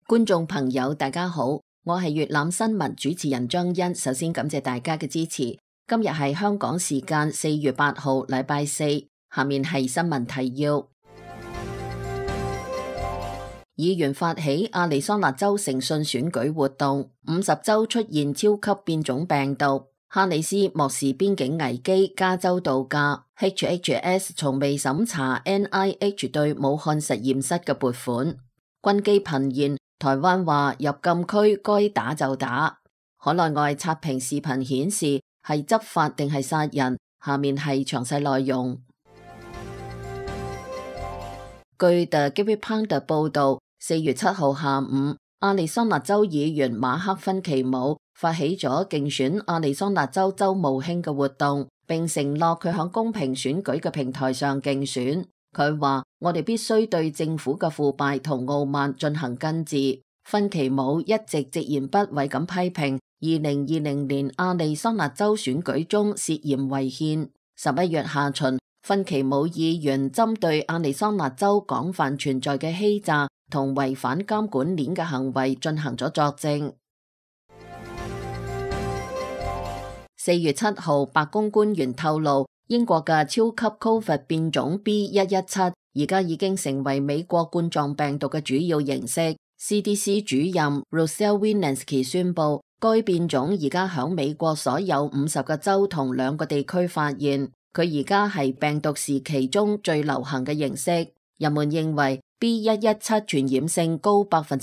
觀眾朋友大家好，我係粵覽新聞主持人張欣。首先感謝大家嘅支持。今日係香港時間4月8號禮拜四，下面係新聞提要。議員發起亞利桑那州誠信選舉活動，50州出現超級變種病毒。哈里斯漠視邊境危機，加州度假。HHS 從未審查 NIH 對武漢實驗室嘅撥款。軍機頻現，台灣話入禁區該打就打。海內外刷屏視頻顯示係執法定係殺人，下面係詳細內容。據 The Daily Pundit 報道，4月7號下午，亞利桑那州議員馬克芬奇姆發起咗競選亞利桑那州州務卿嘅活動，並承諾佢響公平選舉嘅平台上競選。佢話：我哋必須對政府嘅腐敗同傲慢進行根治。芬奇姆一直直言不諱咁批評2020年亞利桑那州選舉中涉嫌違憲。11月下旬，芬奇姆議員針對亞利桑那州廣泛存在嘅欺詐同違反監管鏈嘅行為進行咗作證。4月7號，白宮官員透露，英國嘅超級 Covid 變種 B.1.1.7 而家已經成為美國冠狀病毒嘅主要形式。CDC 主任 Rochelle Walensky 宣布，該變種而家響美國所有50個州同2個地區發現。佢而家係病毒時期中最流行嘅形式。人們認為 B.1.1.7 傳染性高50%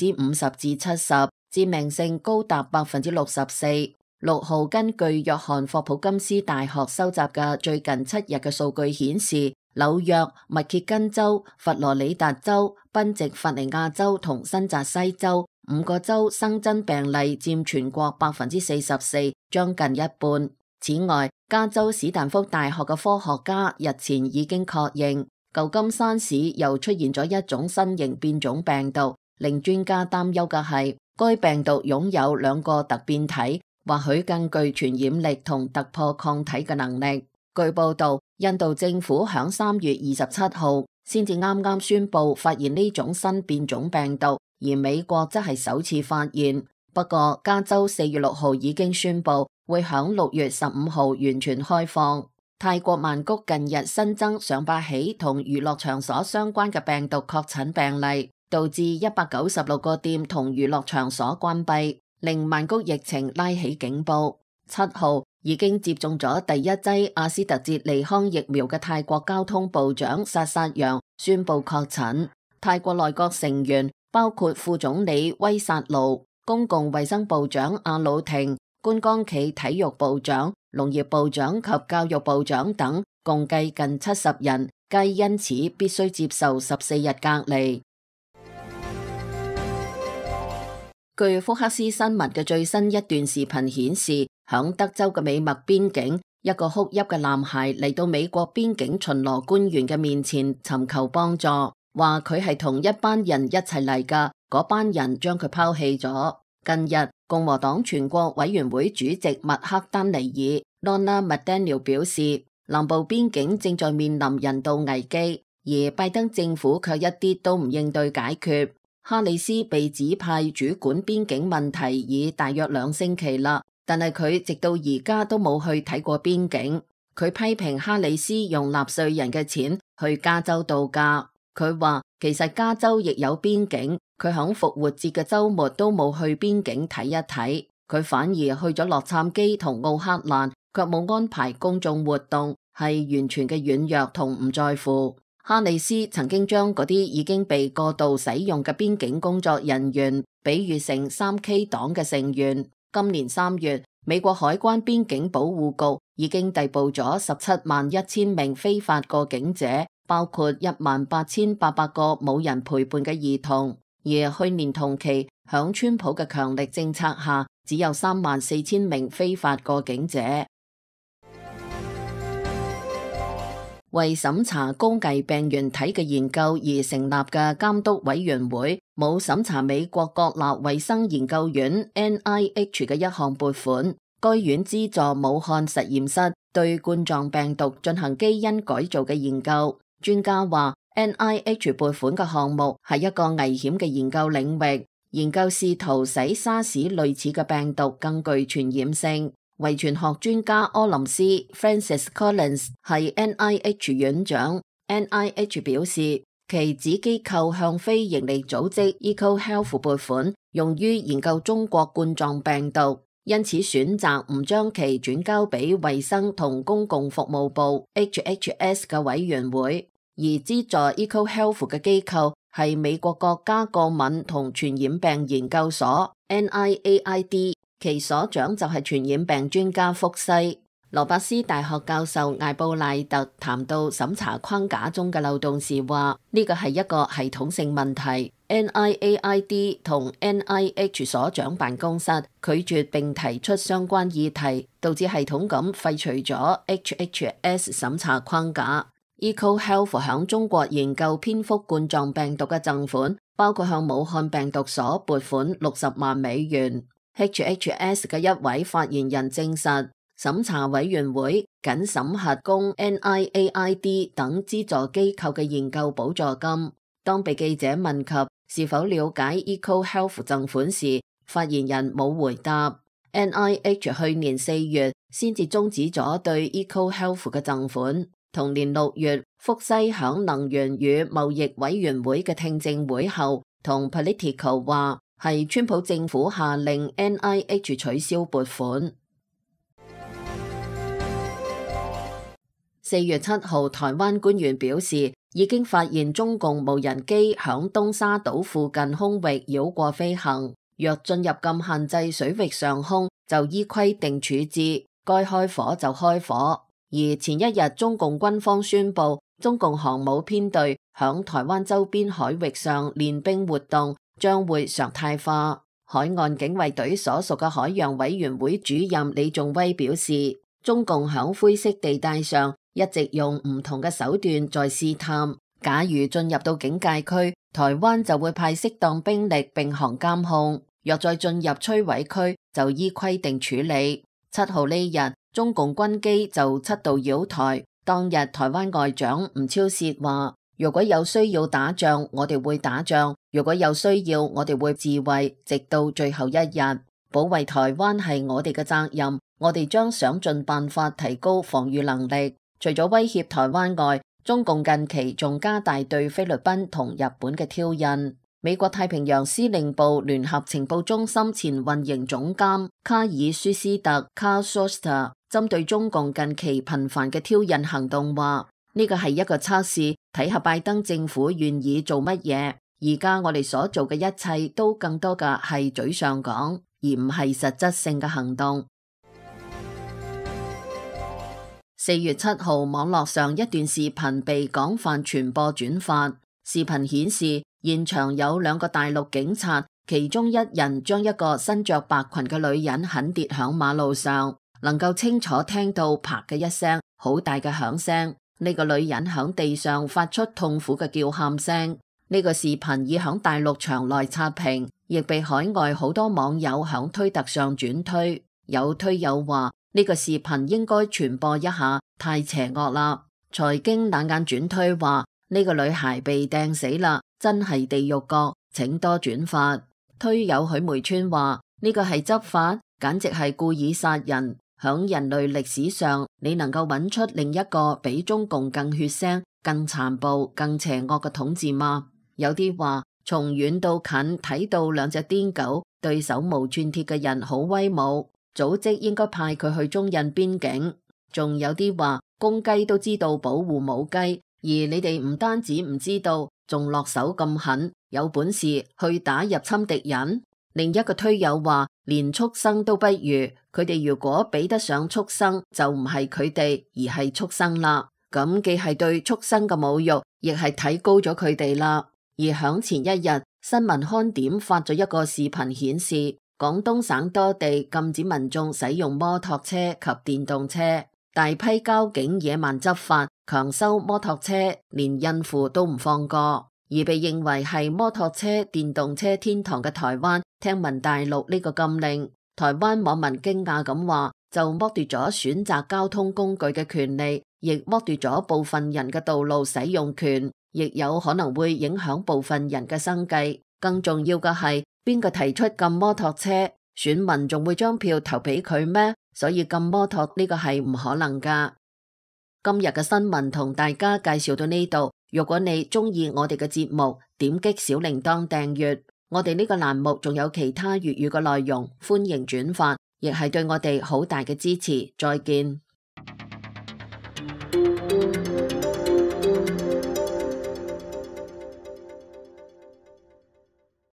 至70%，致命性高達64%。6號，根據約翰霍普金斯大學收集嘅最近7日嘅數據顯示，紐約、密歇根州、佛羅里達州、賓夕法尼亞州同新澤西州5個州新增病例佔全國44%，將近一半。此外，加州史丹福大學嘅科學家日前已經確認，舊金山市又出現咗一種新型變種病毒。令專家擔憂嘅係，該病毒擁有2個突變體，或許更具傳染力同突破抗體嘅能力。據報道，印度政府響3月27號先至啱啱宣布發現呢種新變種病毒，而美國則係首次發現。不過，加州4月6號已經宣布會響6月15號完全開放。泰國曼谷近日新增上百起同娛樂場所相關嘅病毒確診病例，導致196個店同娛樂場所關閉，令曼谷疫情拉起警報。7號已經接種咗第一劑阿斯特捷利康疫苗嘅泰國交通部長薩薩揚宣布確診。泰國內閣成員包括副總理威薩盧、公共衛生部長阿魯廷、觀光企體育部長、農業部長及教育部長等，共計近70人，皆因此必須接受14日隔離。據福克斯新聞嘅最新一段視頻顯示，響德州嘅美墨邊境，一個哭泣嘅男孩嚟到美國邊境巡邏官員嘅面前尋求幫助，話佢係同一班人一齊嚟噶，嗰班人將佢拋棄咗。近日，共和黨全國委員會主席麥克丹尼爾 Ronna McDaniel 表示，南部邊境正在面臨人道危機，而拜登政府卻一啲都唔應對解決。哈里斯被指派主管邊境問題已大約2星期啦，但係佢直到而家都冇去睇過邊境。佢批評哈里斯用納稅人嘅錢去加州度假。佢話其實加州亦有邊境，佢響復活節嘅週末都冇去邊境睇一睇，佢反而去咗洛杉磯同奧克蘭，卻冇安排公眾活動，係完全嘅軟弱同唔在乎。哈里斯曾經將嗰啲已經被過度使用嘅邊境工作人員比喻成3K 黨嘅成員。今年3月，美國海關邊境保護局已經逮捕咗171000名非法過境者，包括18800個冇人陪伴嘅兒童。而去年同期，響川普嘅強力政策下，只有34000名非法過境者。為審查高危病原體嘅研究而成立嘅監督委員會冇審查美國國立衛生研究院 NIH 嘅一項撥款，該院資助武漢實驗室對冠狀病毒進行基因改造嘅研究。專家話 NIH 撥款嘅項目係一個危險嘅研究領域，研究試圖使沙士類似嘅病毒更具傳染性。遺傳學專家柯林斯 Francis Collins 係 NIH 院長。NIH 表示，其子機構向非營利組織 EcoHealth 撥款，用於研究中國冠狀病毒，因此選擇唔將其轉交俾衛生同公共服務部 HHS 嘅委員會，而資助 EcoHealth 嘅機構係美國國家過敏同傳染病研究所 NIAID， 其所長就係傳染病專家福西。羅伯斯大學教授艾布賴特談到審查框架中嘅漏洞時話，呢個係一個系統性問題。NIAID 同 NIH 所長辦公室拒絕並提出相關議題，導致系統咁廢除咗 HHS 審查框架。EcoHealth 響中國研究蝙蝠冠狀病毒嘅贈款，包括向武漢病毒所撥款60萬美元。HHS 嘅一位發言人證實，審查委員會僅審核供 NIAID 等資助機構嘅研究補助金。當被記者問及是否了解 EcoHealth 贈款時，發言人冇回答。NIH 去年4月先至終止咗對 EcoHealth 嘅贈款。同年6月，福西響能源與貿易委員會嘅聽證會後，同 Politico 話係川普政府下令 NIH 取消撥款。4月7號，台灣官員表示，已經發現中共無人機響東沙島附近空域繞過飛行，若進入禁限制水域上空，就依規定處置，該開火就開火。而前一日，中共軍方宣布，中共航母編隊響台灣周邊海域上練兵活動將會常態化。海岸警衛隊所屬嘅海洋委員會主任李仲威表示，中共響灰色地帶上一直用唔同嘅手段在試探，假如進入到警戒區，台灣就會派適當兵力並行監控；若再進入摧毀區，就依規定處理。7號呢日，中共軍機就7度擾台。當日台灣外長吳釗燮話，如果有需要打仗，我哋會打仗；如果有需要，我哋會自衛，直到最後一日。保衛台灣係我哋嘅責任，我哋將想盡辦法提高防禦能力。除咗威脅台灣外，中共近期仲加大對菲律賓同日本嘅挑釁。美國太平洋司令部聯合情報中心前運營總監卡爾舒斯特 Carl Shuster 針對中共近期頻繁嘅挑釁行動話，呢個係一個測試，睇下拜登政府願意做乜嘢。而家我哋所做嘅一切都更多嘅係嘴上講，而唔係實質性嘅行動。4月7號，網絡上一段視頻被廣泛傳播轉發。視頻顯示現場有2個大陸警察，其中一人將一個身着白裙嘅女人狠跌響馬路上，能夠清楚聽到啪嘅一聲好大嘅響聲。呢個女人響地上發出痛苦嘅叫喊聲。呢個視頻已響大陸牆內刷屏，亦被海外好多網友響推特上轉推。有推友話呢個視頻應該傳播一下，太邪惡啦。財經冷眼轉推話呢個女孩被掟死啦，真係地獄角，請多轉發。推友許梅川話呢個係執法，簡直係故意殺人。響人類歷史上，你能夠揾出另一個比中共更血腥、更殘暴、更邪惡嘅統治嗎？有啲話從遠到近睇到2隻癲狗對手無寸鐵嘅人好威武，組織應該派佢去中印邊境。仲有啲話公雞都知道保護母雞，而你哋唔單止唔知道，仲落手咁狠，有本事去打入侵敵人。另一個推友話連畜生都不如，佢哋如果比得上畜生，就唔係佢哋，而係畜生啦。咁既係對畜生嘅侮辱，亦係睇高咗佢哋啦。而響前一日，新聞看點發咗一個視頻顯示，廣東省多地禁止民眾使用摩托車及電動車，大批交警野蠻執法，強收摩托車，連孕婦都唔放過。而被認為係摩托車、電動車天堂嘅台灣，聽聞大陸呢個禁令，台灣網民驚訝咁話，就剝奪咗選擇交通工具嘅權利，亦剝奪咗部分人嘅道路使用權，亦有可能會影響部分人嘅生計。更重要嘅係，邊個提出禁摩托車，選民仲會將票投俾佢咩？所以禁摩托呢個係唔可能㗎。今日嘅新聞同大家介紹到呢度。如果你中意我哋嘅節目，點擊小鈴鐺訂閱。我哋呢個欄目仲有其他粵語嘅內容，歡迎轉發，亦係對我哋好大嘅支持。再見。